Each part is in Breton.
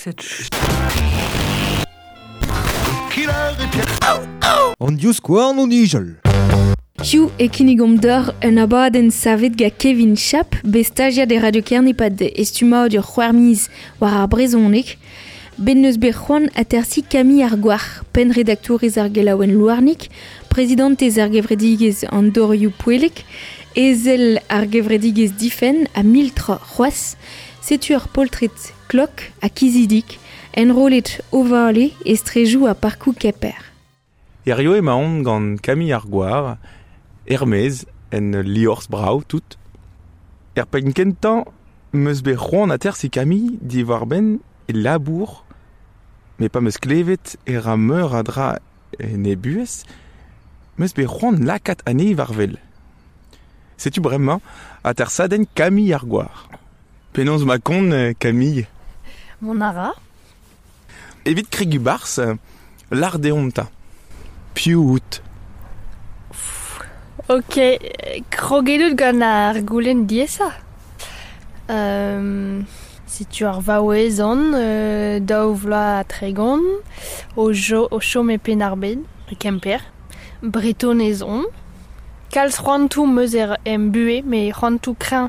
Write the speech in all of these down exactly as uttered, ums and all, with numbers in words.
Treset. An divskouarn o nijal. Hiziv e kinnigomp deoc'h un abadenn savet gant Kevin Chap, bet stajiad e Radio Kerne e-pad e stummadur c'hwec'h miz war ar brezhoneg. Bet neus bet c'hoant atersiñ Camille Argouarc'h, pennredaktourez ar gelaouenn Louarnig, prezidantez ar gevredigezh an dorioù poellek, ezel ar gevredigezh Difenn ha mil tra c'hoazh. Setu ur poltred klok ha kizidik, enrollet o vale e strejoù ha parkoù Kemper. Hirio emaon gant Camille Argouarc'h, er-maez, en liorzh brav tout. Er penn kentañ 'm eus bet c'hoant atersiñ Camille diwar-benn e labour, met pa 'm eus klevet e ra meur a dra en he buhez, 'm eus bet c'hoant lakaat anezhi war-wel. Setu bremañ atersadenn Camille Argouarc'h. Penaos 'mañ kont, Camille? Mont a ra. Evit kregiñ 'barzh, lâr deomp 'ta. Piv out? Ok, kroget out gant ar goulenn diaesañ. Euh, setu ar vaouez on, euh, daou vloaz ha tregont, o, jo, o chom e Penn-ar-Bed, e Kemper. Bretonez on. Kalz c'hoantoù 'm eus er em buhez, met c'hoantoù kreñv.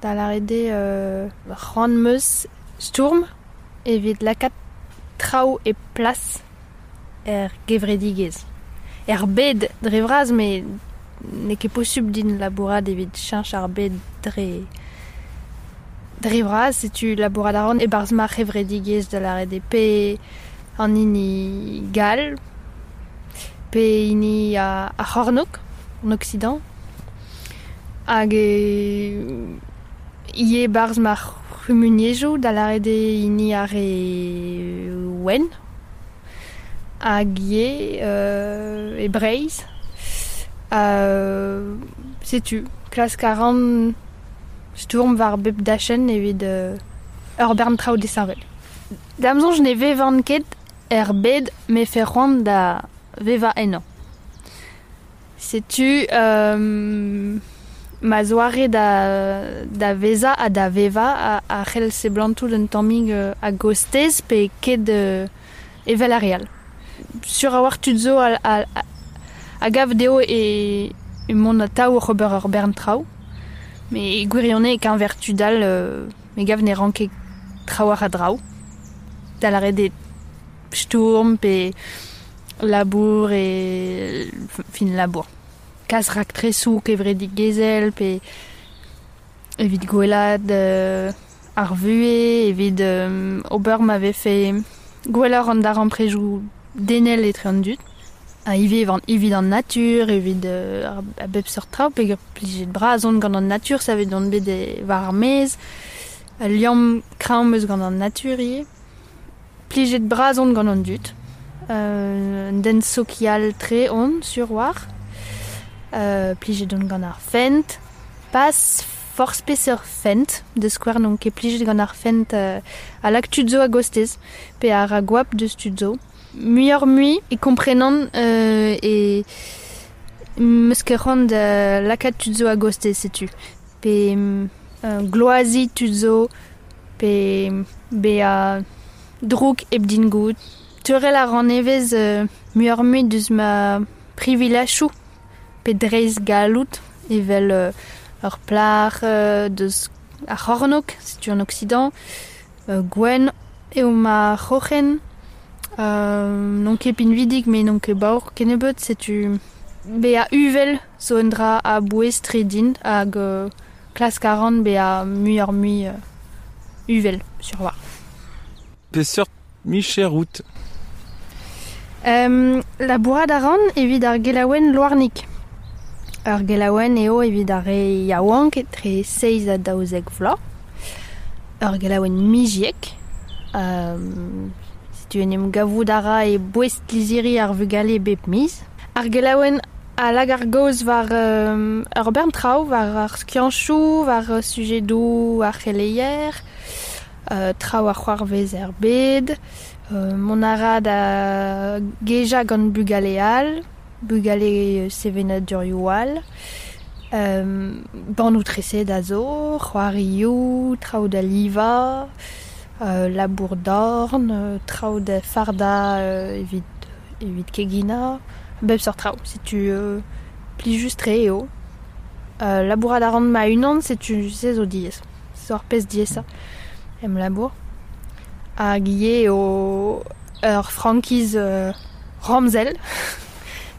Da lâret eo euh, c'hoant 'm eus stourm evit lakaat traoù e plas er gevredigezh. Er bed dre vras, met n'eo ket posupl din labourat evit cheñch ar bed dre dre vras, setu labourat a ran e-barzh ma c'hevredigezh da lâret eo pe an hini gall, pe hini a, ar c'hornôg, an Occident. Hag e ivez e-barzh ma c'humuniezhioù da lâret eo hini ar re wenn. Hag ivez euh, e Breizh. Euh, setu, klask a ran stourm war bep dachenn evit euh, ur bern traoù disheñvel. Da'm soñj ne vevan ket er bed 'mefe c'hoant da vevañ ennañ. Setu euh, ma zoare da, da vezañ ha da vevañ a, a c'hell seblantout un tammig euh, a-gostez pe ket euh, evel ar re all. Sur a-walc'h tud zo a, a, a gav dezho e, e mont atav oc'h ober ur bern traoù. Met e gwirionez e-keñver tud all euh, me gav ne ran ket trawalc'h a draoù. Da lâret eo stourm pe labour e fin labour. Kas raktresoù kevredigezhel pe evit gwellaat euh, ar vuhez, evit euh, ober ma vefe gwelloc'h an darempredoù denel etre an dud. Ha ivez evit an natur, evit euh, a bep seurt traoù, peogwir plijet bras on gant an natur, savet on bet e, war ar maez. Ul liamm kreñv 'm eus gant an natur ivez. Plijet bras on gant an dud. Euh, un den sokial tre on, sur war. Euh, plijet on gant ar fent. Pas forzh peseurt fent, da skouer n'on ket plijet gant ar fent euh, a lak tud zo a-gostez, pe a ra goap deus tud zo. Muioc'h-mui e komprenan euh, e 'm eus ket c'hoant da lakaat tud zo a-gostez, setu. Pe euh, gloaziñ tud zo, pe bezañ drouk hep din goût. Teurel a ran evezh euh, muioc'h-mui deus ma privilajoù pe dreist galloud evel euh, ur plac'h euh, deus ar c'hornôg, setu an Occident, euh, gwenn eo ma c'hroc'hen, euh, n'on ket pinvidik met n'on ket baour kennebeut, setu bezañ uvel zo un dra a-bouez-tre din hag euh, klask a ran bezañ muioc'h-mui euh, uvel, sur war. Peseurt micher out? Euh, labourat a ran evit ar gelaouenn Louarnig. Ur gelaouenn eo evit ar re yaouank etre seizh ha daouzek vloaz. Ur gelaouenn miziek. Euh, setu en em gavout a ra e boest lizhiri ar vugale bep miz. Ar gelaouenn a lak ar gaoz war euh, ur bern traoù, war ar skianchoù, war euh, sujedoù ar c'heleier, euh, traoù a c'hoarvez er bed, euh, mont a ra da gejañ gant bugale all, bugale sevenadurioù all, euh, bannoù treset a zo, c'hoarioù, traoù da livañ, Euh, labour dorn, euh, traoù da farda euh, evit, evit kegina, bep seurt traoù, setu euh, plijus tre eo. Euh, labourat a ran ma unan, setu se zo diaes. Se ar pezh diaesañ em labour. Hag ivez eo ur frankiz euh, ramzel.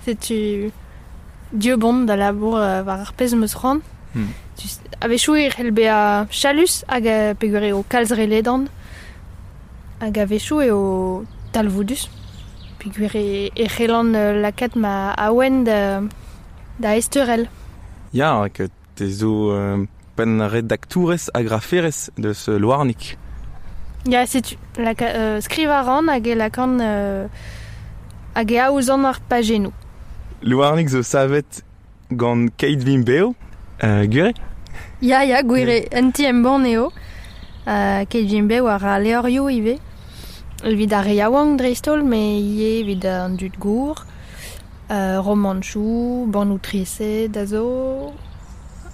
Setu dieubon da labour euh, war ar pezh 'm eus c'hoant. Hmm. Tu, a-wechoù e c'hell bezañ chalus hag euh, peogwir eo kalz re ledan. Hag a-wechoù eo talvoudus. Peogwir e, e c'hellan euh, lakaat ma awen da, da ezteurel. Ya, hag te zo euh, penn redaktourez ha graferez deus Louarnig. Ya, setu laka, euh, skrivañ a ran hag e lakaan euh, hag e aozan ar pajennoù. Louarnig zo savet gant Keit Vimp Bev, euh, gwir eo? Ya, ya, gwir eo, un ti embann eo. Euh, Keit Vimp Bev a ra levrioù ivez. Evit ar re yaouank dreist-holl, met ivez evit an dud gour. Euh, romanchoù, bannoù treset a zo.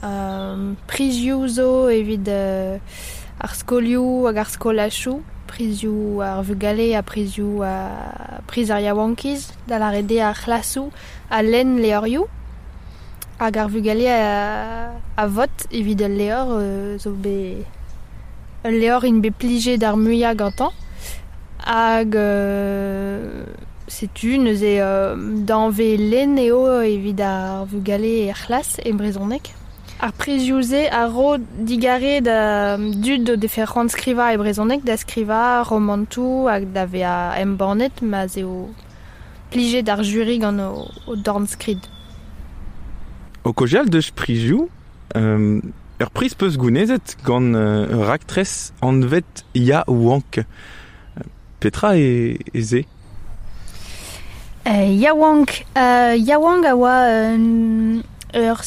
Euh, prizioù zo evit euh, ar skolioù hag ar skolachoù. Prizioù ar vugale ha prizioù a priz ar yaouankiz, da lâret eo ar c'hlasoù a lenn levrioù. Hag ar vugale a, a vot evit ul levr euh, zo bet ul levr int bet plijet ar muiañ gantañ. Hag euh, setu neuze euh, danvez lenn eo evit ar vugale er c'hlas e brezhoneg. Ar prizioù-se a ro digarez da dud o defe c'hoant skrivañ e brezhoneg da skrivañ romantoù hag da vezañ embannet ma'z eo plijet ar juri gant o, o dornskrid. O kaozeal deus prizioù, euh, ur priz peus gounezet gant euh, ur raktres anvet Ya Wank. Petra e, e se? Euh, Ya Wank. Euh, Ya Wank a oa un, ur,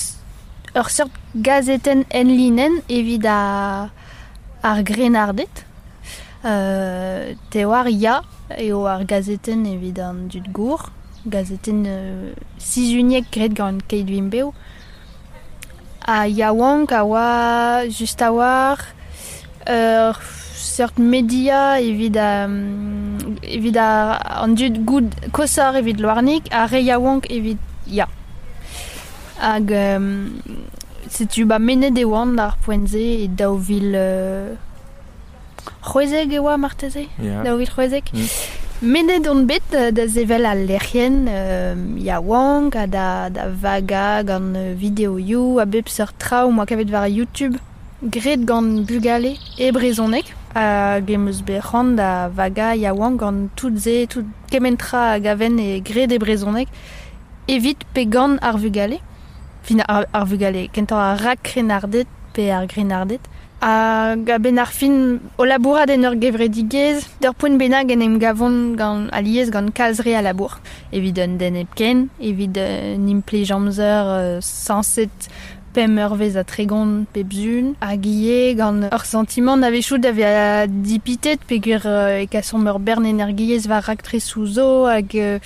ur seurt gazetenn enlinenn evit ar, ar grennarded. Euh, te oar Ya eo ar gazetenn evit an dud gour. Gazetenn euh, sizhuniek graet gant Keit Vimp Bev. Ha Ya Wank a oa just a-walc'h ur seurt media evit, um, evit ar, an dud goud koshoc'h evit Louarnig ha re yaouank evit Ya. Hag um, setu ba mennet e oan d'ar poent-se e daou vil euh, c'hwezek e oa marteze? Ya. Daou vil c'hwezek. Mm. Mennet on bet euh, da sevel al lec'hienn euh, yaouank ha da, da vagañ gant euh, videoioù a bep seurt traoù 'moa kavet war YouTube graet gant bugale e brezhoneg. Hag em eus bet c'hoant da vagañ yaouank gant tout se, tout kement tra a gaven e graet e brezhoneg evit pe gant ar vugale. Fin ar, ar vugale, kentoc'h ar rak-krennarded pe ar grennarded. Hag a-benn ar fin o labourat en ur gevredigezh, d'ur poent bennak en em gavont gant alies gant kalz re a labour. Evit un den hepken, evit un implij amzer euh, sañset pemp eurvezh ha tregont pep sizhun. Hag ivez gant ur santimant a-wechoù da vezañ dipitet peogwir euh, e kasomp ur bern energiezh war raktresoù zo hag euh,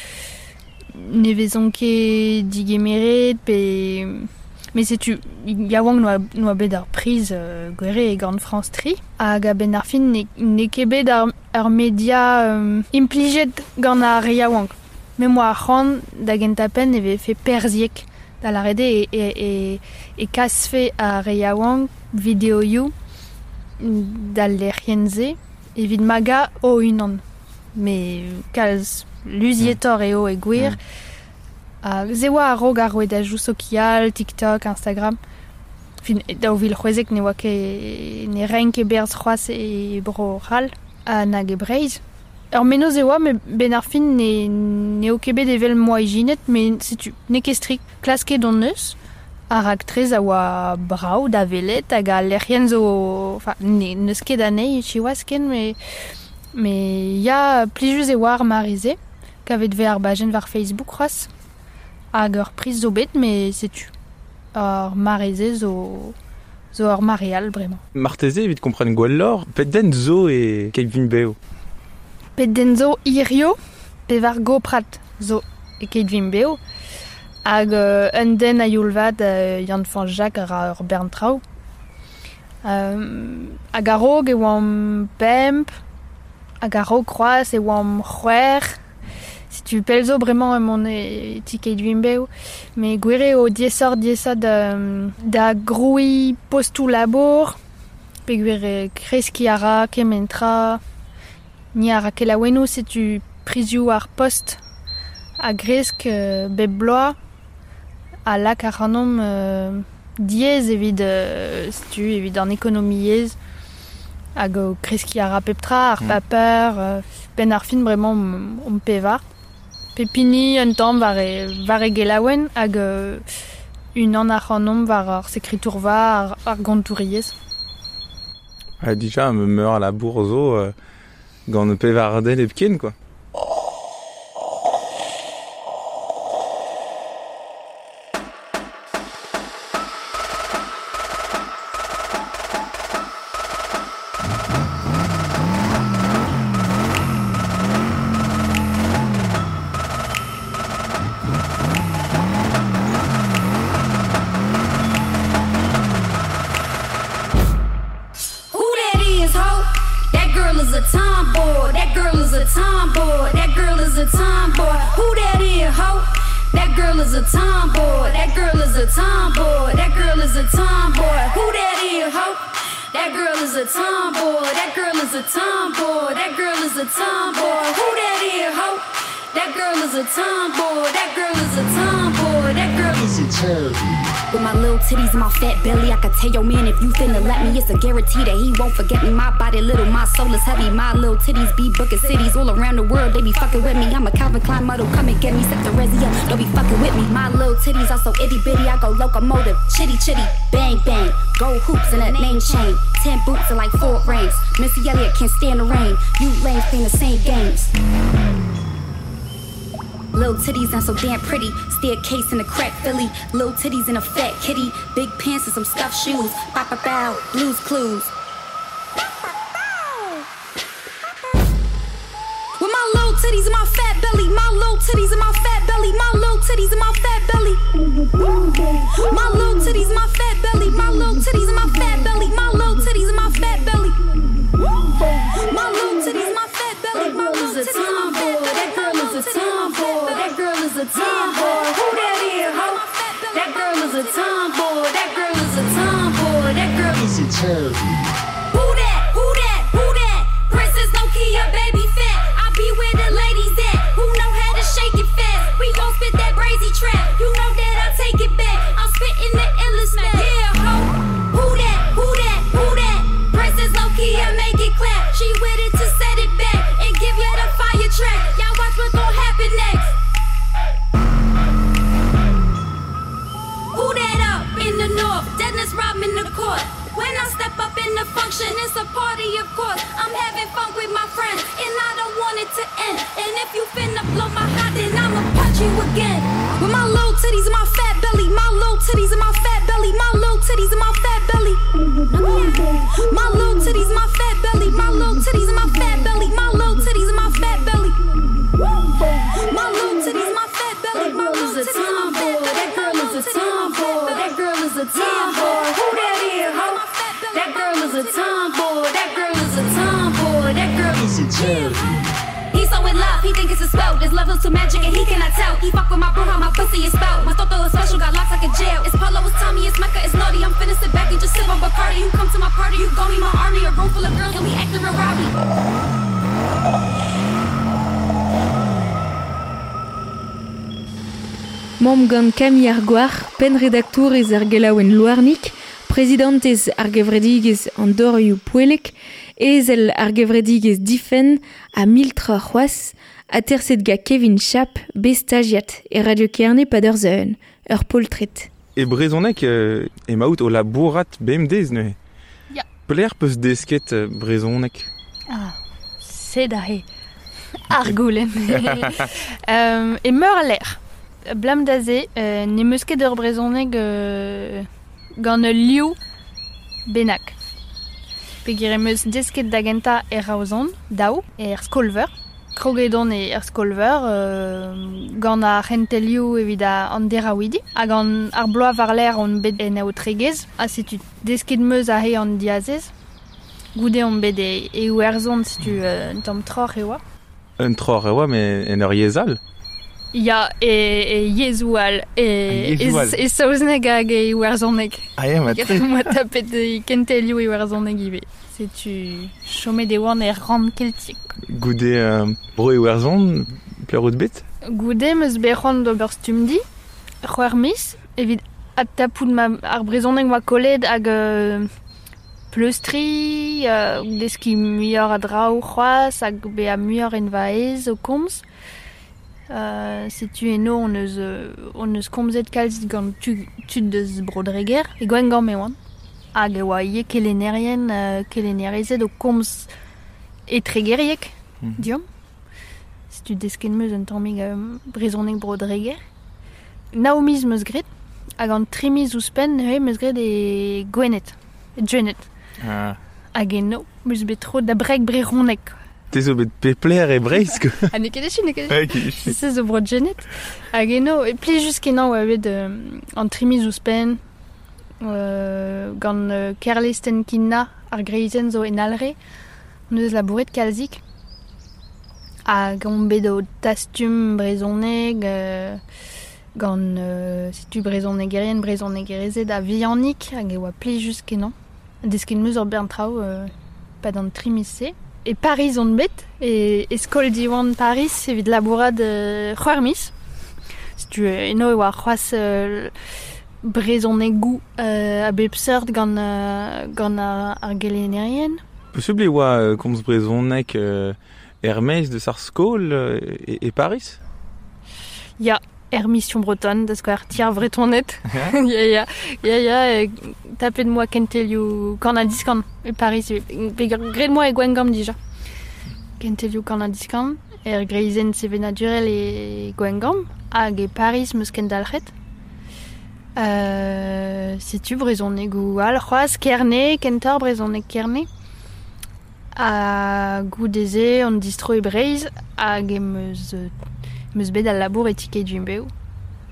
ne vezont ket digemeret pe... Mais setu yaouank n'oa, n'oa bet ar priz euh, gwir eo gant France tri. Hag a-benn ar fin ne, n'eo ket bet ar, ar media euh, implijet gant ar re yaouank. Me 'moa ar c'hoant da gentañ-penn e vefe perzhiek da lâret eo e, e, e, e kasfe ar re yaouank videoioù d'al lec'hienn-se evit magañ o-unan. Met kalz luzietoc'h eo e gwir. Mm. Ha se oa a-raok ar rouedadoù sokial, TikTok, Instagram. Fin, daou vil c'hwezek ne oa ket ne raent ket berzh c'hoazh e Bro-C'hall ha nag e Breizh. Ur mennozh e oa, met 'benn ar fin ne, n'eo ket bet evel 'moa ijinet, met setu, n'eo ket strikt. Klasket hon eus, ar raktres a oa brav da welet hag al lec'hienn zo... Enfin, ne, n'eus ket anezhi siwazh ken, met, met ya, plijus e oa ar mare-se, kavet 'vez ar bajenn war Facebook c'hoazh. Hag ur priz zo bet, met setu. Ar mare-se zo, zo ur mare all bremañ. Marteze evit kompren gwelloc'h, pet den zo e Keit Vimp Bev? Pet den zo hirio, pevar goprad zo e Keit Vimp Bev. Hag euh, un den a youl vat euh, Yann-Fañch Jacq a ra ur bern traoù. Euh, hag a-raok e oamp pemp, hag a-raok c'hoazh e oamp c'hwec'h. Setu pell zo bremañ emaon e ti Keit Vimp Bev. Met gwir eo diaesoc'h diaesañ da, da grouiñ postoù labour, peogwir e kreskiñ a ra kement tra, ni a ra kelaouennoù, setu prizioù ar post a gresk euh, bep bloaz a lak ac'hanomp euh, diaes evit, euh, setu, evit an ekonomiezh hag o kreskiñ a ra pep tra, ar Mm. paper, euh, penn ar fin bremañ omp, omp pevar. Pep hini un tamm war e, war e gelaouenn hag euh, unan ac'hanomp war ar sekretourva, ar, ar gontouriezh. Ha dija, me meur a labour zo euh, gant pevar den hepken, quoi. Who that is, ho? That girl is a tomboy. That girl is a tomboy. That girl is a tomboy. Who that is, ho? That girl is a tomboy. That girl is a tomboy. That girl is a tomboy. Who that is, ho? That girl is a tomboy. That girl is a tomboy. That girl is a tomboy. Who that is, ho? That girl is a tomboy. That girl is a tomboy. That girl is a With my little titties and my fat belly, I could tell your man if you finna let me, it's a guarantee that he won't forget me. My body little, my soul is heavy. My little titties be booking cities all around the world. They be fucking with me. I'm a Calvin Klein model, come and get me. Set the resi up, don't be fucking with me. My little titties are so itty bitty, I go locomotive, chitty chitty, bang bang. Gold hoops and a name chain, ten boots and like four rings. Missy Elliott can't stand the rain. You lames playing the same games. Little titties and so damn pretty. Staircase in a crack Philly. Little titties and a fat kitty. Big pants and some scuffed shoes. Bow, bow, bow. Blues Clues. With my little titties and my fat belly. My little titties and my fat belly. My little titties and my fat belly. My little titties and my fat belly. My little titties and my fat belly. My little titties and my fat belly. My little titties and my fat belly. That My girl little is a titties and my fat tomboy. belly. That girl is a tomboy. That girl is a tomboy. Who that is, ho? That girl is a tomboy. That girl is a tomboy. That girl is a Who that? Who that? Who that? Princess Nokia, baby fat. I be where the ladies at. Who know how to shake it fast? We gon' spit that brazy trap. You know that I take it back. I'm spitting the illest man. Yeah, ho. Who that? Who that? Who that? Princess Nokia, make it clap. She with it to set it back and give you the fire track. Y'all watch what gon' happen next. Who that up in the north? Dennis Rodman the court. When I step up in the function, it's a party, of course. I'm having fun with my friends, and I don't want it to end. And if you finna blow my hot, then I'ma punch you again. With my little titties and my fat belly, my little titties and my fat belly, my little titties and my fat belly. My little titties and my fat belly, my little titties and my fat belly, my little titties and my fat belly. My little titties and my fat belly, That my girl is little a titties and my fat tomboy. belly. That girl is a tomboy. That girl is a tomboy. Who that is, ho? That girl is a tomboy. That girl is a tomboy. That girl is a He's so in love, he think it's a spell. This love is too magic and he cannot tell. He fuck with my bro, how my pussy is spelled. My toto is special, got locks like a jail. It's Polo, it's Tommy, it's Mecca, it's naughty. I'm finna sit back and just sip on Bacardi. You come to my party, you gon' be my army. A room full of girls and we acting real rowdy. Mamm gant Camille Argoar, penn redaktourez ar gelaouenn Louarnik, prezidentez ar gevredigezh an dorioù poellek, ezel ar gevredigezh Difenn ha miltra c'hoazh, aterset ga Kevin Chap, bet stagiat e Radio Kerne pad ur zeun, ur poltred. E brezhoneg euh, emaout o labourat bemdez neuze. Ya. Pelec'h peus desket euh, brezhoneg? Ah, sed aze. Ar goulenn. euh, e meur a lec'h. Blam da ze, euh, ne meus ket ur brezhoneg euh, gant ul liv bennak. Peogwir em eus desket da gentañ er Raozon, daou, er skolveur. Kroget on e er skolver, euh, gant ar c'hentelioù evit an derawidi, hag an ar bloaz war-lerc'h on bet en aotregez, ha setu desket meus a he an diazez. Goude on bet e, e Iwerzhon, setu euh, un tamm troc'h e oa. Un troc'h e oa, met en ur yezh all? Ya, e, e yezhoù all, e, e, e saozneg hag e iwerzhoneg. Ah ya, ma tre. Moa tapet e kentelioù iwerzhoneg ivez. Setu chomet e oan er rann keltiek. Goude euh, bro Iwerzhon, pelec'h out bet? Goude 'm eus bet c'hoant d'ober stumdi, c'hwec'h miz, evit adtapout ma, ar brezhoneg oa kollet hag euh, pleustriñ, euh, deskiñ muioc'h a draoù c'hoazh hag bezañ muioc'h en va aez o komz. Euh, setu eno on eus, on eus komzet kalz gant tu, tud deus Bro-Dreger, e Gwengamp e oan. Hag e oa ivez kelennerien, euh, kelennerezed o komz e Tregerieg, mm. diomp. Setu desket 'm eus un tammig euh, brezhoneg Bro-Dreger. Nav miz 'm eus graet, hag an tri miz ouzhpenn neuze 'm eus graet e Gwened, e Gwened. Ah. Hag eno 'm eus bet tro da breg brezhoneg. Te zo bet pepler e Breizh, quoi. Ha n'eo ket echu, n'eo ket echu. Se zo Bro-Gwened. Hag eno, e plijus kenañ oa bet euh, an tri miz ouzhpenn, euh, gant euh, Kerlesten Kinna, ar greizenn zo en Alre, on eus labouret kalzik. Hag on bet o tastum brezhoneg, euh, gant euh, setu brezhonegerien, brezhonegerezed a vihanik, hag e oa plijus kenañ. Desket 'm eus ur bern traoù euh, pad an tri miz-se. E Pariz on bet, e, e skol Diwan Paris evit labourat euh, c'hwec'h miz. Setu eno e oa c'hoazh euh, brezhonegoù euh, a bep seurt gant, euh, gant ar, ar gelennerien. Posubl e oa euh, komz brezhoneg euh, er-maez deus ar skol euh, e, e Paris? Ya, er Mission Bretonne, da skouer ti ar Vretoned. Ya, ya, ya, ya, tapet moa kentelioù kan-ha-diskan e Paris, pe graet moa e Gwengamp dija. Kentelioù kan-ha-diskan, er greizenn sevenadurel e Gwengamp, hag e Paris 'm eus kendalc'het. Euh, setu brezhonegoù all c'hoazh, Kerne, kentoc'h brezhoneg Kerne. Ha goude-se on distro e Breizh hag em eus, em eus bet al labour e Ti Keit Vimp Bev.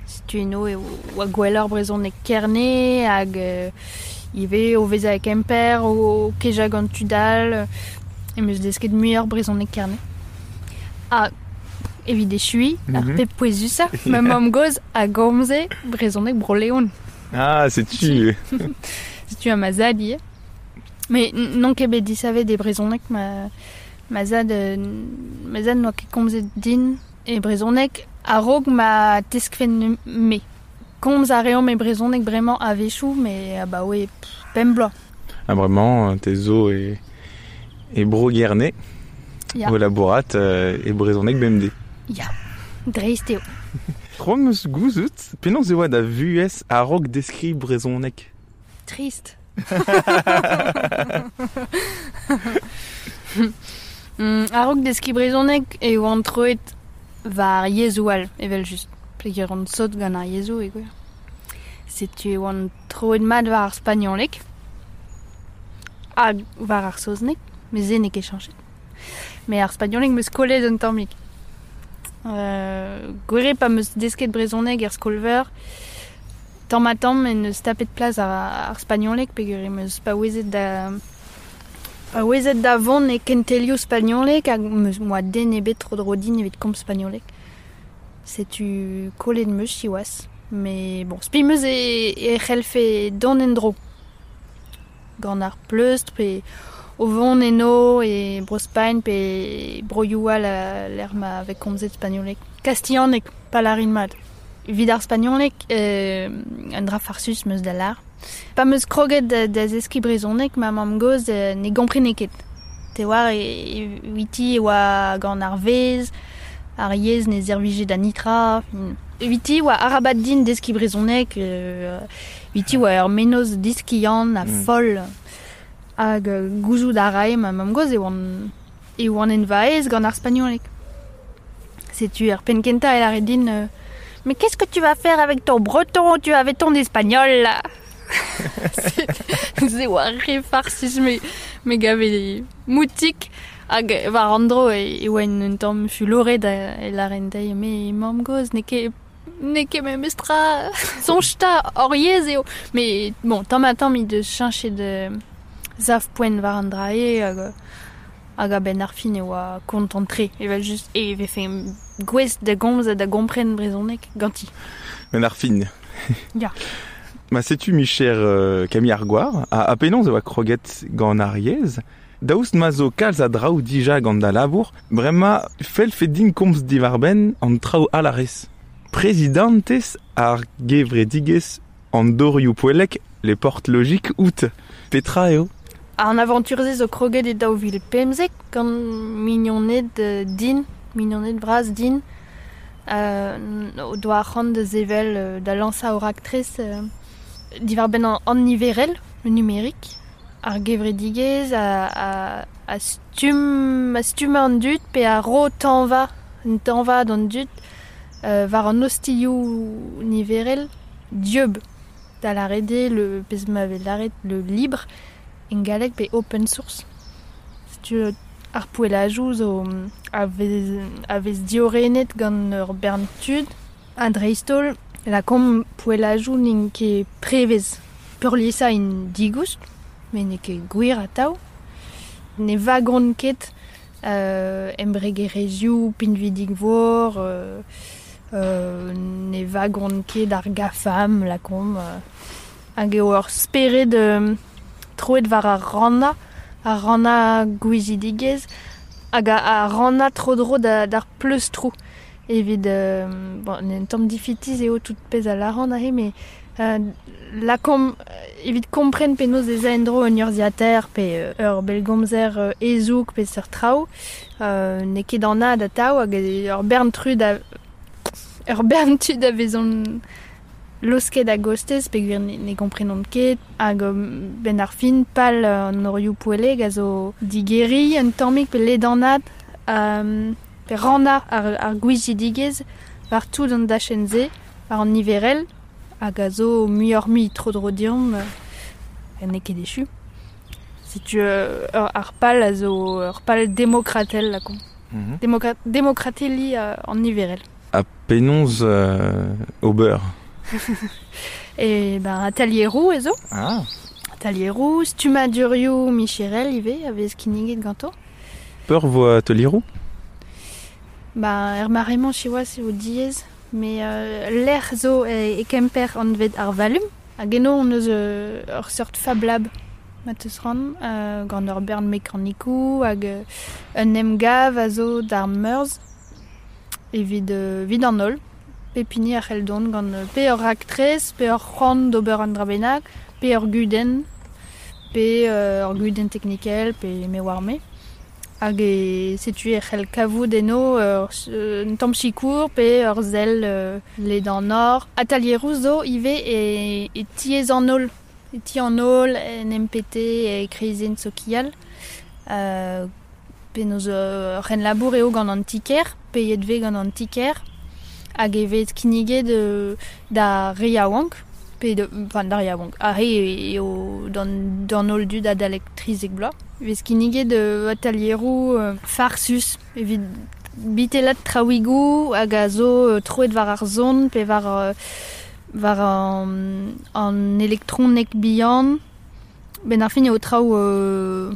Setu eno e oa gwelloc'h brezhoneg Kerne hag euh, ivez o vezañ e Kemper, o kejañ gant tud all, em eus desket muioc'h brezhoneg Kerne. Ha evit echuiñ, mm -hmm. ar pep pouezusañ, ma mamm-gozh a gomze brezhoneg Bro-Leon. Ah, setu. Setu ha ma zad ivez. Mais n'on ket bet disavet e brezhoneg, ma, ma zad, ma zad n'oa ket komzet din e brezhoneg a-raok ma teskfen me. Komz a reomp e brezhoneg bremañ a-wechoù, met abaoe pemp bloaz. Ha bremañ, te zo e, e Bro-Gerne, Ya. o labourat euh, e brezhoneg bemdez. Ya, dreist eo. C'hoant 'm eus gouzout, penaos e oa da vuhez a-raok deskiñ brezhoneg? Trist. mm, a-raok deskiñ brezhoneg e oan troet war yezhoù all, evel-just. Peogwir on sot gant ar yezhoù e gwir. Setu e oan troet mat war ar spagnoleg hag war ar saozneg, met se n'eo ket chañchet. Met ar spagnoleg 'm eus kollet un tammig. Euh, gwir eo pa 'm eus desket brezhoneg er skol-veur, tamm-ha-tamm en deus tapet plas ar, ar spagnoleg peogwir em eus paouezet da paouezet da vont e kentelioù spagnoleg hag 'm eus moa den ebet tro-dro din evit komz spagnoleg. Setu kollet 'm eus siwazh. Mais bon, spi 'm eus e, e c'hellfe dont en-dro. Gant ar pleustr pe o vont eno e Bro-Spagn pe broioù all lec'h ma vez komzet spagnoleg. Kastilhaneg, pa lârin mat. Evit ar spagnoleg, euh, un dra farsus 'm eus da lâr. Pa 'm eus kroget da, da zeskiñ brezhoneg, ma mamm-gozh euh, ne gomprene ket. Te oar, e, eviti e oa gant ar vezh, ar yezh ne servije da nitra. Eviti oa arabat din deskiñ brezhoneg, euh, eviti oa ur mennozh diskiant ha Mm. foll. Hag euh, gouzout a rae ma mamm-gozh e oan, e oan en va aez gant ar spagnoleg. Setu ar penn kentañ e lâre din euh, Mais qu'est-ce que tu vas faire avec ton breton? Tu avais ton espagnol là. Se oa re farsus, mais Me gave moutik hag war an dro e, e oan un tamm fuloret e laren dezhi me mamm gozh n'eo ket n'eo ket memes tra soñj 'ta hor yezh eo. Mais bon, tamm ha tamm he deus cheñchet sav poent war an dra eo hag hag a-benn ar fin e oa kontant-tre evel just e vefe gouest da gomz ha da gompren brezhoneg ganti. Ben ar fin. Ya. Ma setu micher euh, Camille Argoar, a, a penaos e oa kroget gant ar yezh, daoust ma zo kalz a draoù dija gant da labour, bremañ felfe din komz diwar-benn an traoù all a rez. Prezidantez ar gevredigezh an dorioù poellek les portes logiques out. Petra eo? An aventure-se zo kroget e daou vil pemzek gant mignoned din, mignoned bras din, euh, o doa arc'hant da sevel da lañsañ ur raktres euh, diwar-benn an, an niverel, le numérique, ar gevredigezh a, a, a stumm, a stumm an dud pe a ro tañva, un tañva d'an dud euh, war an ostilhoù niverel dieub da lâret eo le pezh ma vez lâret le libre en galleg pe open source. Setu ar poellajoù zo a vez, a vez diorrenet gant ur bern tud ha dreist-holl la kom poellajoù n'int ket prevez. Peurliesañ int digoust, met n'eo ket gwir atav. Ne vagont ket euh, embregerezhioù pinvidik-vor, euh, euh, ne vagont ket ar GAFAM, la kom. Euh, hag eo ur spered euh, troet war ar rannañ, ar rannañ gouizidigezh, hag ar rannañ tro-dro da, d'ar pleustroù. Evit, euh, bon, un tamm difitiz eo tout pezh a lâran aze, mais euh, la kom, evit kompren penaos ez a en-dro un urzhiataer pe ur bellgomzer euh, hezoug pe seurt traoù, euh, n'eo ket anat atav hag ur bern trud a, ur bern tud a vezont losket a-gostez peogwir ne, ne gomprenont ket hag ben ar fin pal an orioù poellek a zo digeriñ un tammig pe ledanat euh, pe rannañ ar, ar gouizidigezh war tout an dachenn-se, war an niverel, hag a zo muioc'h-mui tro-dro deomp, euh, n'eo ket echu. Setu euh, ur, ar pal a zo ur pal demokratel la kom. Mm-hmm. Demokra- demokrateli euh, an niverel. Ha penaos euh, ober? E ben atelieroù ez zo. Ah. Atelieroù, stummadurioù micherel ivez a vez kinniget ganto. Peur vo atelieroù? Ba, er mare-mañ siwazh eo diaes, mais euh, lec'h zo e, e Kemper anvet ar Valum. Hag eno on eus euh, ur seurt Fab Lab ma teus ran, euh, gant ur bern mekanikoù hag euh, un emgav a zo d'ar meurzh evit, euh, evit an holl. Pep hini a c'hell dont gant pe ur raktres, pe ur c'hoant d'ober an dra bennak, pe ur gudenn, pe euh, ur gudenn teknikel, pe me oar me. Hag e setu e c'hell kavout eno ur, un tamm sikour pe ur sell euh, ledanoc'h. Atelieroù zo ivez e, e tiez an holl. E ti an holl, en M P T, e kreizenn sokial. Euh, penaos ur c'henlabour eo gant an ti-kêr, peiet vez gant an ti-kêr. Hag e vez kinniget euh, da re yaouank, pe de, enfin da re yaouank, ar re eo d'an, d'an holl dud adalek trizek bloaz. Vez kinniget euh, atelieroù euh, farsus, evit bitellat traouigoù hag a zo euh, troet war ar zon pe war, euh, war an, an elektronek bihan. Ben ar fin eo traoù euh,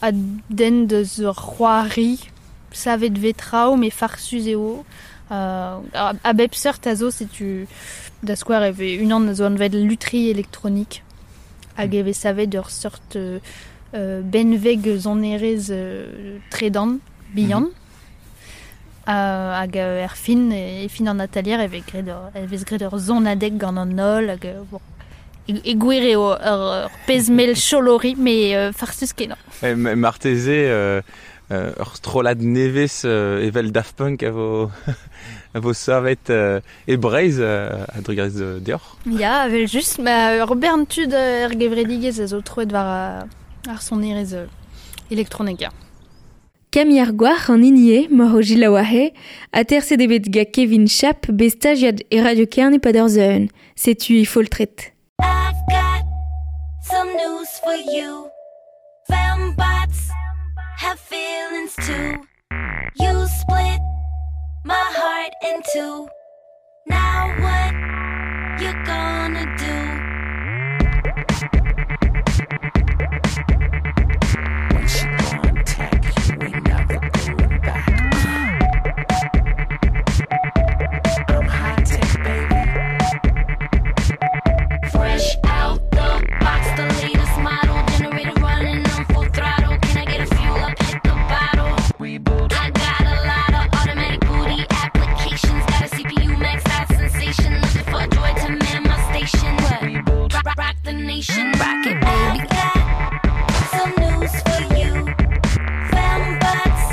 a den deus ur c'hoari, savet vez traoù, mais farsus eo. Euh, a, a bep seurt a zo, setu da skouer e vez unan a zo anvet lutherie électronique hag e vez savet ur seurt euh, euh, benveg sonerezh euh, tredan bihan. Mm-hmm. Euh, hag euh, er fin, e fin an atelier e vez graet ur, e vez graet ur sonadeg gant an holl hag euh, bon. E, e gwir eo ur, ur pezh mell cholori, mais euh, farsus kenañ. E, marteze euh, euh, ur strollad nevez euh, evel Daft Punk a vo, a vo savet euh, e Breizh euh, a drugarez de deoc'h. Ya, evel just, ma ur bern tud er gevredigezh a zo troet war ar sonerezh euh, elektronek ya. Camille Argoar an hini eo, mor o jilaouahe, aterset eo bet gant Kevin Chap bet stagiad e Radio Kerne pad ur zeun. Setu e foltret. I've got some news for you. feelings too. You split my heart in two. Now what you gonna do? When she gone tech, you ain't never going back. I'm high tech, baby. Fresh out the box, the latest model. Generator running on full throttle. Can I get a fuel up? Hit the bottle. Reboot. I got a lot of automatic booty applications. Got a C P U maxed out sensation. Looking for a droid to man my station. Reboot. Rock, rock the nation. Rock it, baby. I've got some news for you. Fembots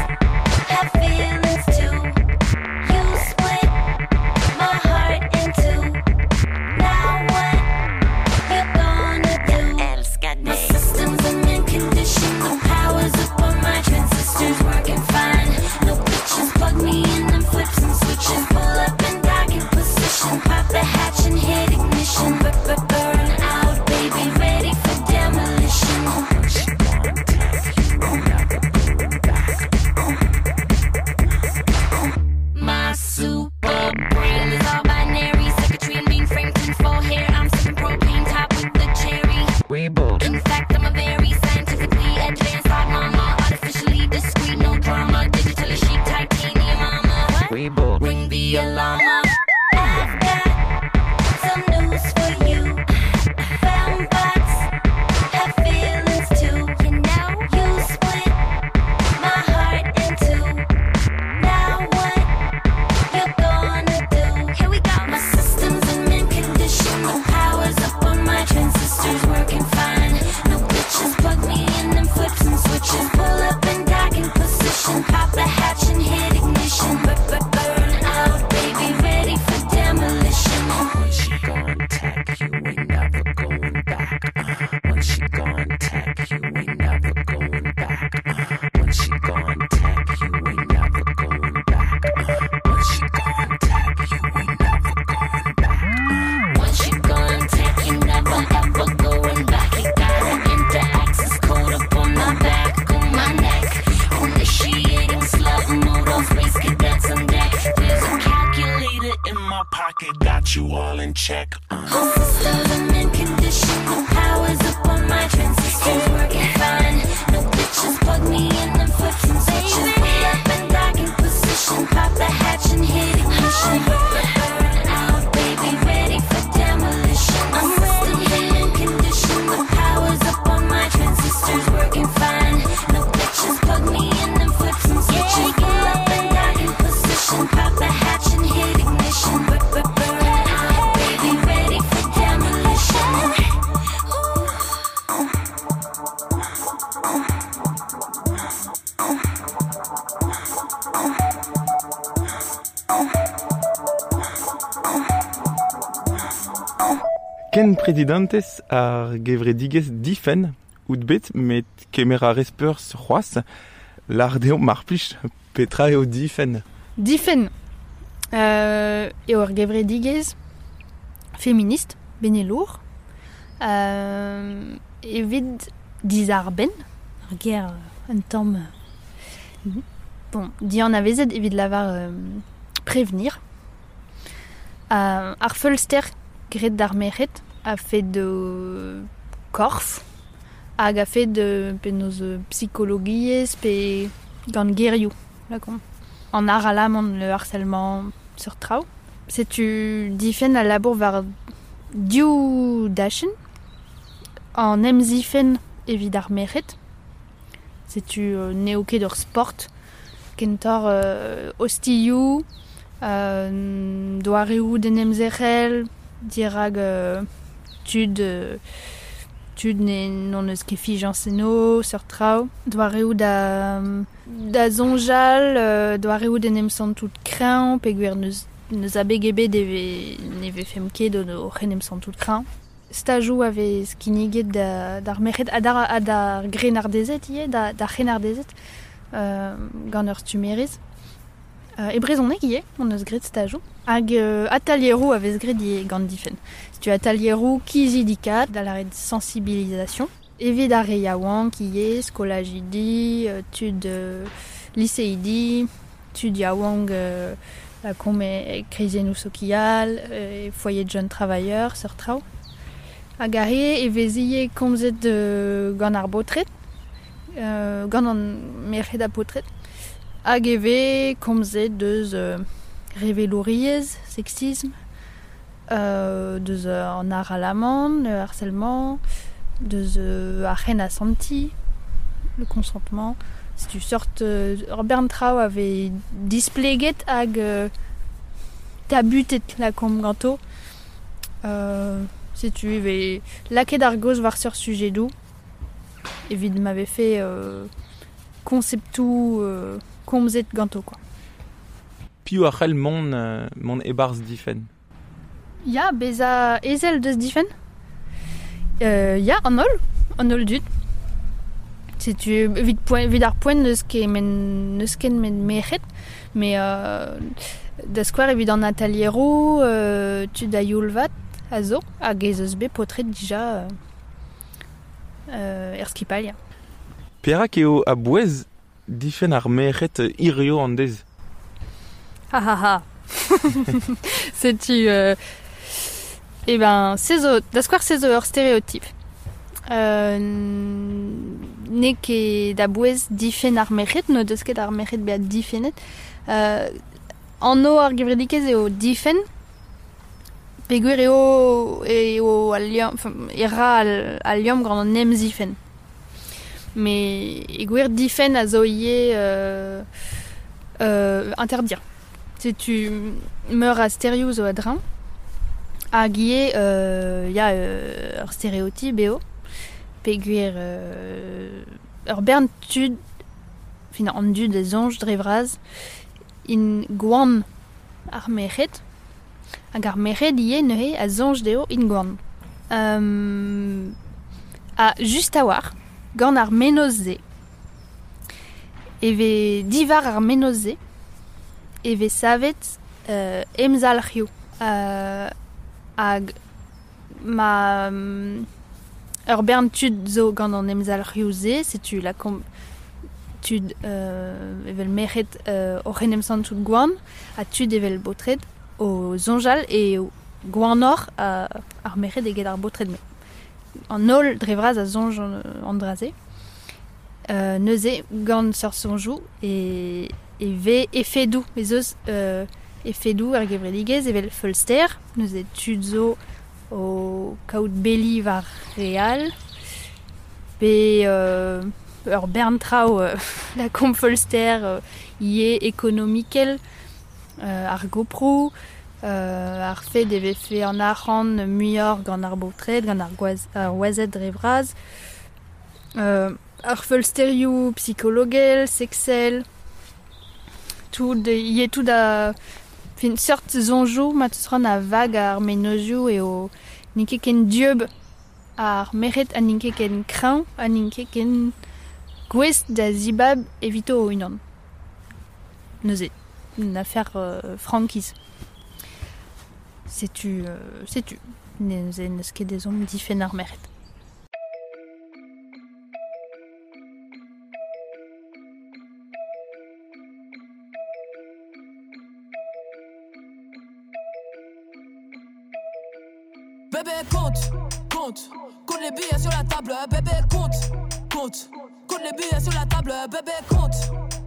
have feelings too. You split my heart in two. Now what you gonna do? My system's in mint condition. The power's up on my transistors, working fine. No glitches. Plug me in and flip some switches. Pull up and dock in position. Pop the hatch and hit ignition. Burn out, baby, ready for demolition. When she gone tech, you ain't never going back. My super brain is all binary. Circuitry and mainframe tinfoil hair. I'm sipping propane top with the cherry. Reboot. In fact, I'm a very scientifically advanced hot mama. Artificially discreet, no drama. Digitally chic, titanium mama. Reboot. Ring the alarm. I've got some news for you. Fembots have feelings too. You know, you split my heart in two. Now what you gonna do? Here we go. My system's in mint condition. The power's up on my transistors, working fine. No glitches. Plug me in and flip some switches. Pull up and dock in position. Pop the hatch and hit ignition. Burn out, baby, ready for demolition. When she gone tech, you ain't never going back. When she gone tech, you ain't never going back. When she gone tech, you ain't never going back. When she gone tech, you ain't never going back. Once you gone tech, you never ever going back. You got an enter access code up on my back, on my neck. Initiating slut mode on space cadets on deck. There's a calculator In my pocket, got you all in check. My system's in mint condition. The power's up on my transistors, working fine. No glitches. Plug me in and flip some switches. Pull up and dock in position. Pop the hatch and hit ignition. Burn out, baby, ready for demolition. My system's in mint condition. The power's up on my transistors, working fine. No glitches. Plug me in and flip some switches. Pull up and dock in position. Pop the hatch and hit ignition. Burn out, baby, ready for demolition. Ken presidentez ar gevredigezh Difenn out bet met kemer a rez peur c'hoazh lar dezho mar plij petra eo Difenn. Difenn euh, eo ar gevredigezh feminist, benelour, euh, evit dizarbenn, ar ger un tamm euh, bon, dian avezet evit lavar euh, prévenir. Euh, ar feulster graet d'ar merc'hed a fait de korf hag a fait de penaos psychologiezh pe gant gerioù lakomp. An ar alamant le harcèlement sur traoù. Setu Difenn a labour war div dachenn an emzifenn evit ar merc'hed. Setu euh, n'eo ket ur sport kentor euh, ostilhoù, euh, doareoù d'en emzerc'hel, dirag euh, tud euh, tud ne non eus ket fijañs eno, seurt traoù. Doareoù da, da soñjal, euh, doareoù d'en em santout kreñv, peogwir n'eus, n'eus abeg ebet e ve, ne vefemp ket o c'hen em santout kreñv. Stajoù a vez kinniget da, d'ar merc'hed ha d'ar, ha d'ar grennardezed ivez, da, d'ar c'hrennardezed, euh, gant ur stummerez. Euh, e brezhoneg ivez, on eus graet stajoù. Hag euh, atelieroù a vez graet ivez gant Difenn. Setu atelieroù kizidikat, da lâret sensibilisation. Evit ar re yaouank ivez, skolajidi, tud euh, liseidi, tud yaouank euh, la kom e krizennoù sokial, e foyer de jeunes travailleurs, seurt traoù. Hag ar re e vez ivez komzet euh, gant ar baotred, euh, gant an merc'hed ha paotred. Hag e vez komzet deus euh, revelouriezh, sexisme, euh, deus euh, an ar alamant, le harcèlement, deus euh, ar c'hen asanti, le consentement. Setu seurt euh, ur bern traoù a vez displeget hag euh, tabutet la kom ganto. Euh, setu e vez lakaet ar gaoz war seurt sujedoù evit ma vefe euh, konceptoù euh, komzet ganto quoi. Piv a c'hell mont, euh, mont e-barzh Difenn? Ya, bezañ ezel deus Difenn. Euh, ya, an holl, an holl dud. Setu evit poent, evit ar poent n'eus ket men, n'eus ket met merc'hed, mais euh, da skouer evit an atelieroù, euh, tud a youl vat a zo, hag ez eus bet paotred dija euh, euh, er skipailh. Ya. Perak eo a-bouez difenn ar merc'hed hirio an deiz? Ha ha ha. Setu euh, eh ben, se zo, da skouer se zo ur stéréotype. Euh, n'eo ket da bouez difenn ar merc'hed, n'o deus ket ar merc'hed bezañ difennet. Euh, anv ar gevredigezh eo difenn, peogwir eo eo al liamm, enfin, e ra al, al liamm gant an emzifenn. Mais e gwir difenn a zo ivez euh, euh, interdire. Setu meur a sterioù zo a-dreñv, hag ivez euh, ya euh, ur stéréotype eo, peogwir euh, ur bern tud, fin an dud a soñj dre vras, int gwan ar merc'hed, hag ar merc'hed ivez neuze a soñj dezho int gwan. Um, ha just a-walc'h, gant ar mennozh-se, e vez diwar ar mennozh-se, e vez savet euh, emzalc'hioù. Euh, hag ma um, ur bern tud zo gant an emzalc'hioù-se, setu la kom tud euh, evel merc'hed euh, oc'h en em santout gwan, ha tud evel baotred o soñjal e gwanoc'h euh, ar merc'hed eget ar baotred me. An holl dre vras a soñj an, an dra-se. Euh, neuze gant seurt soñjoù e, e vez efedoù, ez eus euh, efedoù er gevredigezh evel feulster, neuze tud zo o kaout beli war re all, pe euh, ur bern traoù euh, la kom feulster euh, ivez ekonomikel, euh, ar goproù, euh, ar fed e vefe an arc'hant muioc'h gant ar baotred, gant ar gwaz, ar wazed dre vras, euh, ar feulsterioù psikologel, seksel, tout ivez tout a fin seurt soñjoù ma teus c'hoant a vag ar mennozhioù eo n'int ket ken dieub ar merc'hed ha n'int ket ken kreñv ha n'int ket ken gouest da zibab evito o-unan. Neuze, une affaire euh, frankiz. Setu, euh, setu. Neuze n'eus ket ezhomm difenn ar merc'hed. Bébé compte, compte, compte les billets sur la table. Bébé compte, compte, compte les billets sur la table. Bébé compte,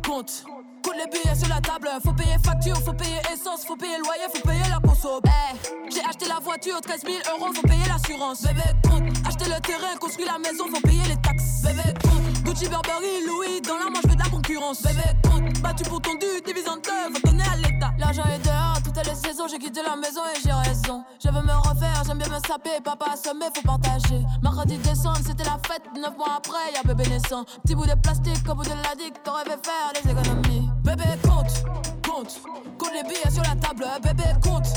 compte, compte les billets sur la table. Faut payer facture, faut payer essence, faut payer loyer, faut payer la conso. Hey, j'ai acheté la voiture, treize mille euros, faut payer l'assurance. Bébé compte, acheter le terrain, construire la maison, faut payer les taxes. Bébé compte, Gucci, Burberry, Louis, dans la manche, je fais de la concurrence. Bébé compte, battu pour ton dû, divise en deux, faut donner à l'État. L'argent est dehors, toutes les saisons, j'ai quitté la maison et j'ai raison. Je veux me refaire, j'aime bien me saper, papa assommé, faut partager. Mercredi décembre, c'était la fête, neuf mois après, y'a bébé naissant. Petit bout de plastique au bout de la digue, t'aurais fait faire des économies. Bébé compte, compte, compte les billets sur la table. Bébé compte,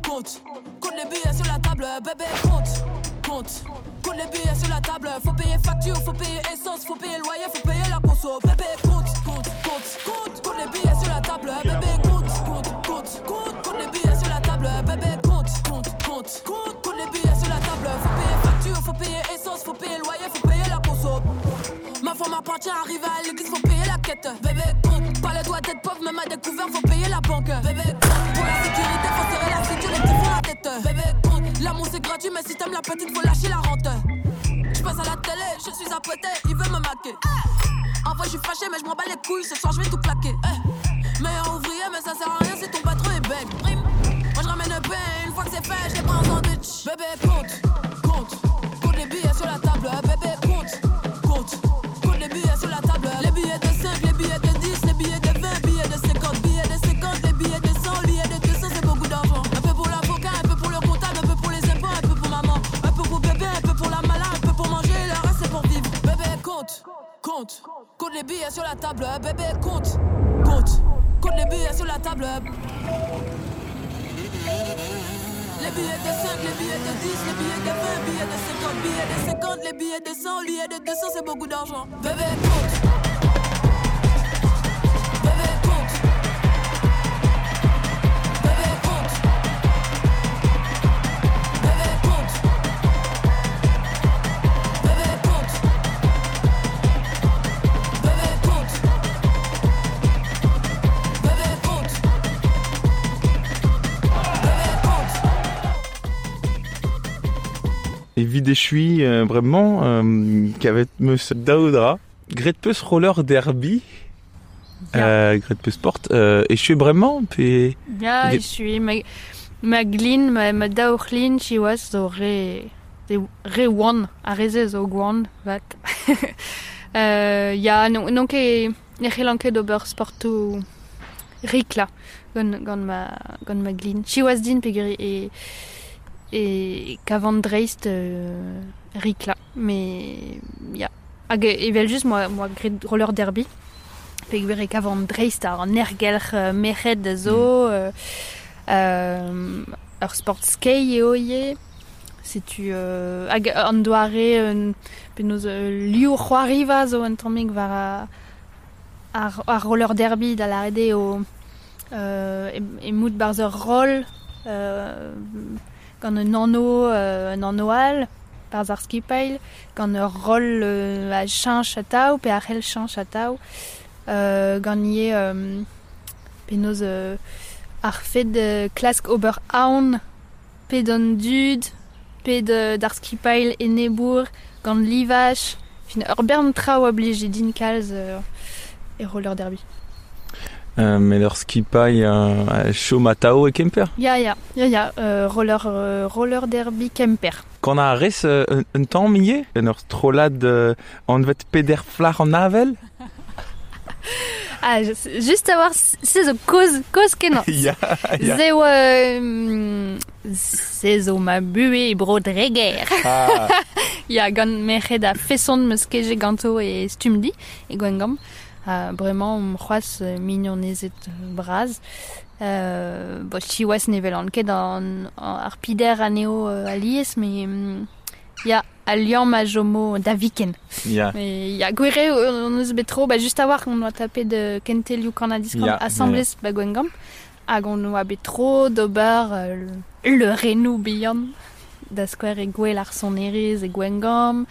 compte, compte les billets sur la table. Bébé compte, compte, compte les billets sur la table. Faut payer facture, faut payer essence, faut payer loyer, faut payer la conso. Bébé compte, compte, compte, compte, compte les billets sur la table. Bébé compte, compte, compte, compte, compte les billets sur la table. Bébé compte, compte, compte, compte, compte les billets sur la table. Faut payer facture, faut payer essence, faut payer loyer, faut payer la m'appartient. Arrivé à l'église, faut payer la quête. Bébé, compte, pas le droit d'être pauvre, même à découvert, faut payer la banque. Bébé, compte, pour la sécurité, faut serrer la ceinture, les petits font la tête. Bébé, compte, l'amour c'est gratuit, mais si t'aimes la petite, faut lâcher la rente. Je passe à la télé, je suis apprêté, il veut me maquer. En vrai, je suis fâché, mais je m'en bats les couilles, ce soir je vais tout claquer. Hey. Meilleur ouvrier, mais ça sert à rien si ton patron est bègue. Prime. Moi je ramène le pain, une fois que c'est fait, je les prends en sandwich. Bébé, compte, compte, compte les billets sur la table. Bébé, compte, compte, compte les billets sur la table. Les billets de cinq, les billets de dix, les billets de vingt, billets de cinquante, billets de cinquante, les billets de cent, billets de deux cents, c'est beaucoup d'argent. Un peu pour l'avocat, un peu pour le comptable, un peu pour les impôts, un peu pour maman, un peu pour bébé, un peu pour la malade, un peu pour manger, le reste c'est pour vivre. Bébé, compte, compte, compte les billets sur la table. Bébé, compte, compte, compte les billets sur la table. Les billets de cinq, les billets de dix, les billets de vingt, billets de cinquante, billets de cinquante, les billets de cent, billets de deux cents, c'est beaucoup d'argent. Bébé, compte. Bébé, compte. Bébé, compte. Bébé, compte. Bébé, compte. Bébé, compte. Bébé, compte. Bébé, compte. Evit echui euh, bremañ euh, kavet meus daou dra. Gret peus roller derby, euh, gret peus sport, euh, echui bremañ pe... Ya, Get- echui, ma, ma glin, ma, ma daouc'hlin, siwazh zo re, re oan, ar re-se zo gwan, vat. euh, ya, non, non ket, ne c'hellan ket ober sportoù rikla gant, gant, ma, gant ma glin. Siwazh din peogwir e, e kavan dreist euh, rikla, mais ya. Hag evel just moa, moa gret roller derby, peogwir e kavan dreist ar an ergelc'h euh, merc'hed a zo, euh, euh, ur sport skei eo ivez. Setu euh, hag an doare euh, penaos euh, liou c'hoariva zo un tammig war a, ar, ar roller derby da lâret eo euh, e, e mout barzh ur roll euh, gant un anno euh, un anno all barzh ar skipail gant ur roll euh, a cheñch atav pe a c'hell cheñch atav euh, gant ivez euh, penaos euh, ar fed euh, klask ober aon pe d'an dud pe de, d'ar skipail enebour gant livaj fin ur bern traoù a blije din kalz euh, e roller derby. Euh, met ur skipail euh, chom atao e Kemper. Ya, ya, ya, ya, euh, roller, euh, roller derby Kemper. Kan a rez euh, un, un tamm ivez, en ur strollad euh, anvet peder flac'h an avel. Ah, je, juste avoir se zo koz, koz kenañ. Ya, ya. Se oa, euh, se zo ma buhe e bro Dreger. Ah, Ya, gant merc'hed a feson meus kejet ganto e stumdi, e Gwengamp. Ha bremañ omp c'hoazh euh, mignonezed bras. Euh, bo, siwazh ne welan ket an, an, ar pider anezho euh, alies, mais mm, ya, al liamm a chomo da viken. ya. Mais ya, gwir eo on eus bet tro, ba, just a-walc'h on oa tapet de kentelioù kannadiskan Ya, asambles ba Gwengamp, hag on oa bet tro d'ober euh, le, le renou bihan da skouer e gwel ar sonerezh e Gwengamp,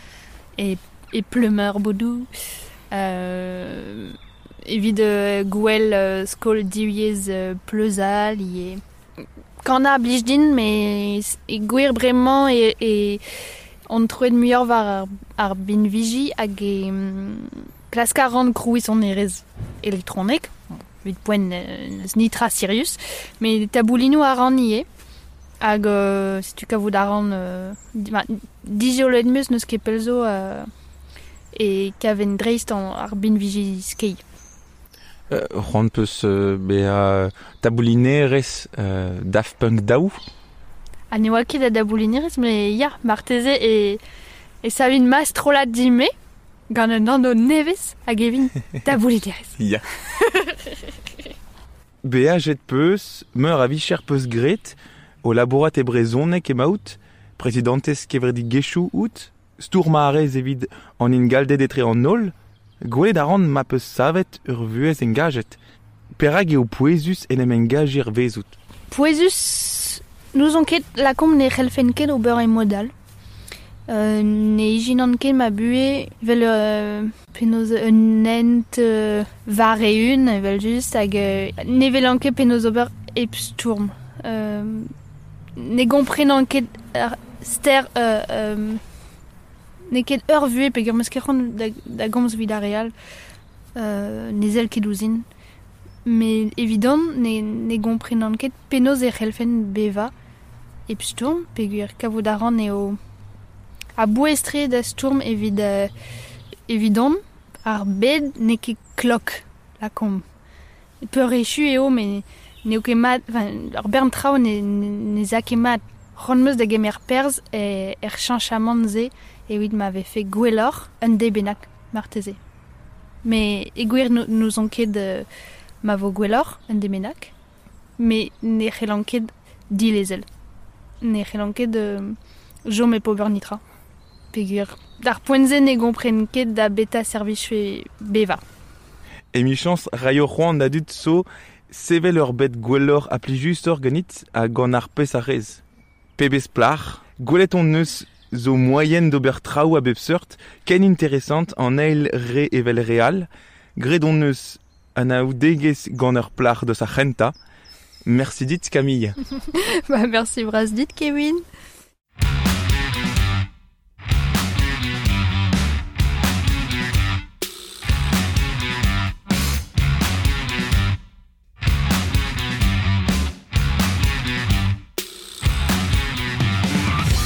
e, e Pleumeur Bodou, euh, evit euh, gwel euh, skol divyezh euh, Pleuzal ivez. Kannañ a blij din, mais e gwir bremañ e, e on troet muioc'h war ar, ar binviji hag e mm, klask a ran krouiñ sonerezh elektronek, bon, evit poent euh, n'eus nitra sirius, mais taboulinoù a ran ivez. Hag euh, setu kavout a ran euh, di, ma, dijolet meus n'eus ket pell zo euh, e kaven dreist an ar binviji skei. Euh, c'hoant peus euh, bezañ taboulinerez euh, Daft Punk daou. Ha ne oa ket da daboulinerez, mais ya, marteze e, e savin ma strollad din-me gant un anv nevez hag evin taboulinerez. Ya. Beajet peus, meur a vicher peus gret, o labourat e brezhoneg emaout, prezidantez kevredigezhioù out, stourm a rez evit an ingalded etre an holl, gwelet a ran ma peus savet ur vuhez engajet. Perak eo pouezus en em engajir vezout. Pouezus, n'ouzon ket lakaomp ne c'hellfen ket ober e mod all. Euh, ne ijinan ket ma buhe vel euh, penaos un hent euh, war eeun evel just hag euh, ne velan ket penaos ober hep stourm. Euh, ne gomprenan ket ar ster euh, euh, ne ket ur vuhez peogwir meus ket c'hoant da, da gomz evit ar re all euh, ne sell ket ouzhin. Met evidon ne, ne gomprenan ket penaos e c'hellfen bevañ hep stourm peogwir kavout a ran eo a bouez-tre da stourm evit euh, evidon ar bed n'eo ket klok lakaomp. Peurechu eo met n'eo ket mat, enfin, ar bern traoù ne, ne, ne za ket mat. C'hoant 'm eus da gemer perzh e, er cheñchamant-se evit ma vefe gwelloc'h un deiz bennak marteze. Met e gwir n'ouzon ket euh, ma vo gwelloc'h un deiz bennak, met ne c'hellan ket dilezel. Ne c'hellan ket euh, chom hep ober netra. Peogwir d'ar poent-se ne gompren ket da beta servijfe bevañ. Emichañs raio c'hoant da dud zo sevel ur bed gwelloc'h ha plijusoc'h ganit ha gant ar pezh a rez. Pebezh plac'h, gwelet hon eus zo moaien d'ober traoù a bep seurt, ken interesant an eil re evel re all, graet hon eus anaoudegezh gant ur plac'h deus ar c'hentañ. Merci dit Camille. Bah, merci bras dit Kevin.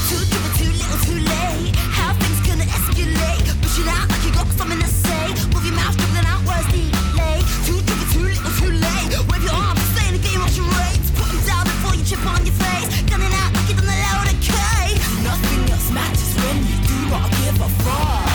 Too driven, too little, too late. How things gonna escalate? Push it out like you got something to say. Move your mouth, dribbling out words delay. Too driven, too little, too late. Wave your arms, stay in the game, watch your rates. Put 'em down before you chip on your face. Gunning out like you done a load of K. Nothing else matters when you do not give a fuck.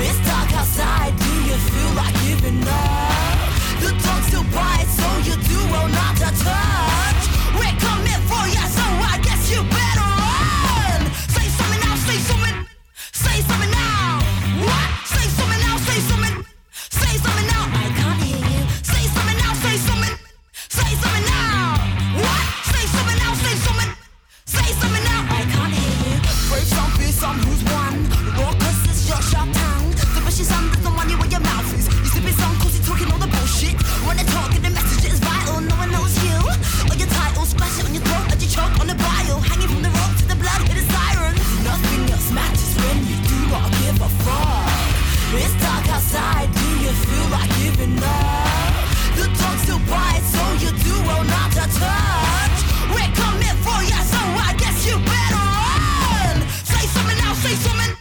It's dark outside, do you feel like giving up? The dog still bites, so you do well not to touch. We're coming for ya, so I guess you better run. Say something now, say something. Say something now. What? Say something now, say something. Say something now, I can't hear you. Say something now, say something. Say something now. What? Say something now, say something. Say something now, I can't hear you. Brave some, fearsome, who's won? Raucous is your sharp tongue. The bushes under the money where your mouth is. You sipping some, cause you're talking all the bullshit. When they talk, the message is vital. No one knows you or your title. Splash it on your throat as you choke on the bile. Hanging from the rope to the blood, hit a siren. Nothing else matters when you do not give a fuck. It's dark outside, do you feel like giving up? The dog still bites, so you do well not to touch. We're coming for ya, so I guess you better run. Say something now, say something.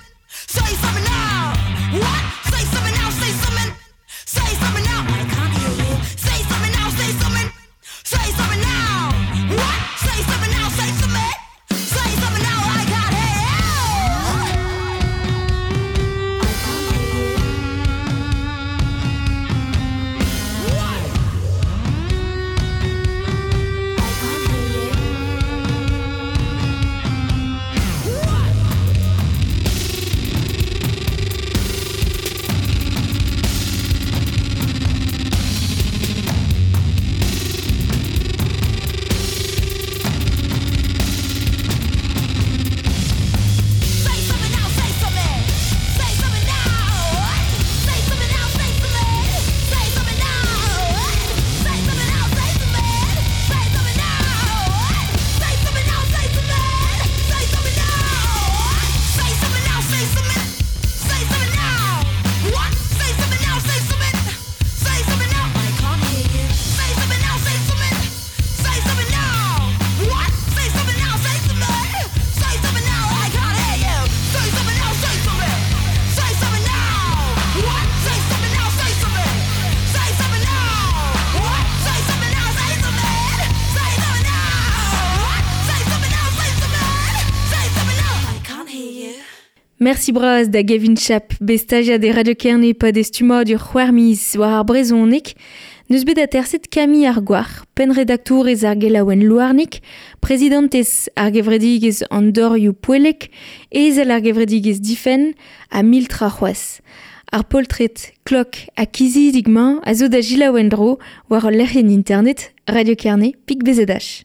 Say something now. What? Say something now, say something. Say something now, I can't hear you. Say something now, say something. Say something now. What? Say something now, say something. Say something now, I can't hear you. I can't hear you. I can't hear you. Say something now, say something. Say something now. Say something now, say something. Say something now. Say something now, say something. Say something now. Say something now, say something. Say something now. Say something now, say something. Say something now. What? Say something now, say something. Say something now. I can't hear you. Say something now, say something. Say something now. What? Say something now, say something. Say something now, I can't hear you. Say something now, say something. Say something now. What? Say something now, say something. Say something now. What? Say something now, say something. Say something now. What? Say something now, say something. Say something now. I can't hear you. Merci bras da Gavin Chap, bet stagiad e Radio Kerne pad estummadur c'hwec'h miz war ar brezhoneg, n'eus bet aterset Camille Argouar, pennredaktourez ar gelaouenn Louarnig, prezidantez ar gevredigezh an dorioù poellek, ezel ar gevredigezh Difenn ha mil tra c'hoazh. Ar poltred, klok ha kizidig-mañ a zo da selaou en-dro war ul lec'hienn internet Radio Kerne pik B Z H.